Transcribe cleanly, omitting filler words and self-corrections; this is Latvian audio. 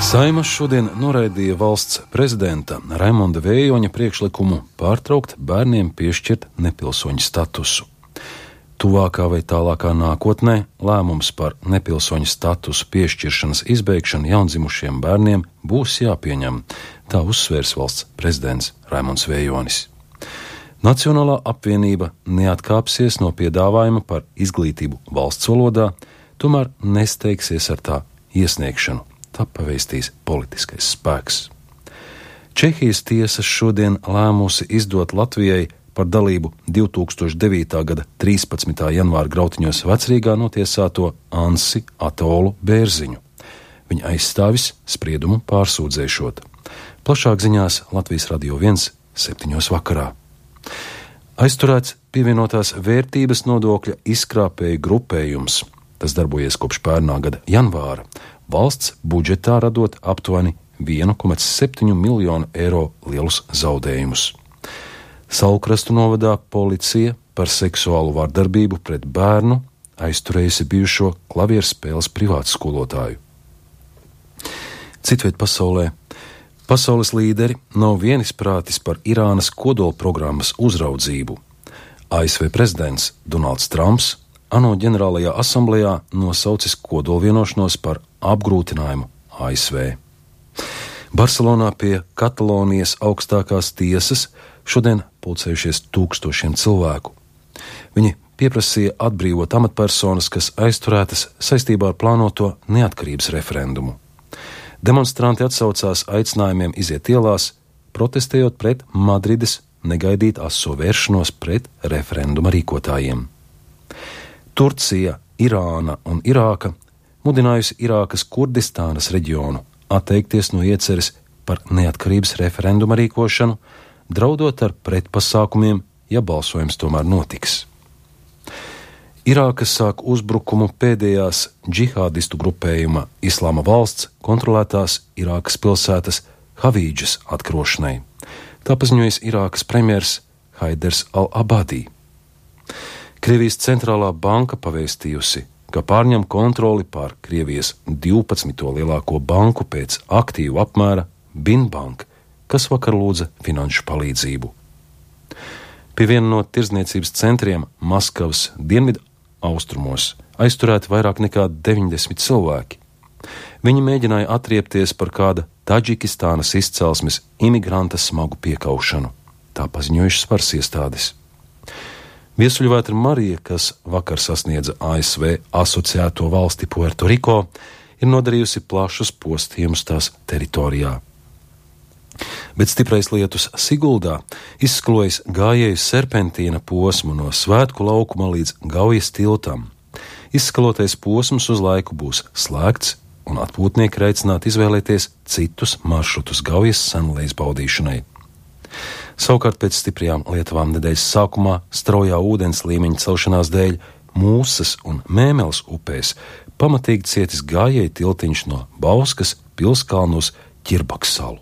Saeima šodien noraidīja valsts prezidenta Raimonda Vējoņa priekšlikumu pārtraukt bērniem piešķirt nepilsoņu statusu. Tuvākā vai tālākā nākotnē lēmums par nepilsoņu statusu piešķiršanas izbeigšanu jaundzimušiem bērniem būs jāpieņem, tā uzsvērs valsts prezidents Raimonds Vējonis. Nacionālā apvienība neatkāpsies no piedāvājuma par izglītību valsts valodā, tomēr nesteigsies ar tā iesniegšanu. Tā pavēstīs politiskais spēks. Čehijas tiesa šodien lēmusi izdot Latvijai par dalību 2009. gada 13. janvāra grautiņos Vecrīgā notiesāto Ansi Atolu Bērziņu. Viņa aizstāvis spriedumu pārsūdzēšot. Plašāk ziņās Latvijas Radio 1 7. vakarā. Aizturēts pievienotās vērtības nodokļa izkrāpēju grupējums. Tas darbojies kopš pērnā gada janvāra. Valsts budžetā radot aptuveni 1,7 miljonu eiro lielus zaudējumus. Saulkrastu novadā policija par seksuālu vardarbību pret bērnu aizturējusi bijušo klavierspēles privātskolotāju. Citviet pasaulē. Pasaules līderi nav vienisprātis par Irānas kodolprogrammas uzraudzību. ASV prezidents Donalds Trumps ANO ģenerālajā asamblejā nosaucis kodolvienošanos par apgrūtinājumu ASV. Barcelonā pie Katalonijas augstākās tiesas šodien pulcējušies tūkstošiem cilvēku. Viņi pieprasīja atbrīvot amatpersonas, kas aizturētas saistībā ar plānoto neatkarības referendumu. Demonstranti atsaucās aicinājumiem iziet ielās, protestējot pret Madrides negaidīt aso vēršanos pret referenduma rīkotājiem. Turcija, Irāna un Irāka mudinājusi Irākas Kurdistānas reģionu atteikties no ieceres par neatkarības referenduma rīkošanu, draudot ar pretpasākumiem, ja balsojums tomēr notiks. Irāka sāk uzbrukumu pēdējās džihādistu grupējuma Islāma valsts kontrolētās Irākas pilsētas Havīdžas atkrošanai. Tā paziņojas Irākas premjers Haiders al-Abadī. Krievijas centrālā banka pavēstījusi, ka pārņem kontroli pār Krievijas 12. lielāko banku pēc aktīvu apmēra Binbank, kas vakar lūdza finanšu palīdzību. Pie viena no tirdzniecības centriem Maskavas dienvidu austrumos aizturēti vairāk nekā 90 cilvēki. Viņi mēģināja atriepties par kāda Taģikistānas izcelsmes imigranta smagu piekaušanu. Tā paziņojušas varas iestādes. Viesuļvētra Marija, kas vakar sasniedza ASV asociēto valsti Puerto Riko, ir nodarījusi plašus postījumus tās teritorijā. Bet stiprais lietus Siguldā izsklojas gājēju serpentīna posmu no Svētku laukuma līdz Gaujas tiltam. Izskalotais posms uz laiku būs slēgts, un atpūtnieki ir aicināti izvēlēties citus maršrutus Gaujas senlējas baudīšanai. Savukārt pēc stiprajām lietavām nedēļas sākumā straujā ūdens līmeņa celšanās dēļ Mūsas un Mēmeles upēs pamatīgi cietis gājēju tiltiņš no Bauskas pilskalnu uz Ķirbaks salu.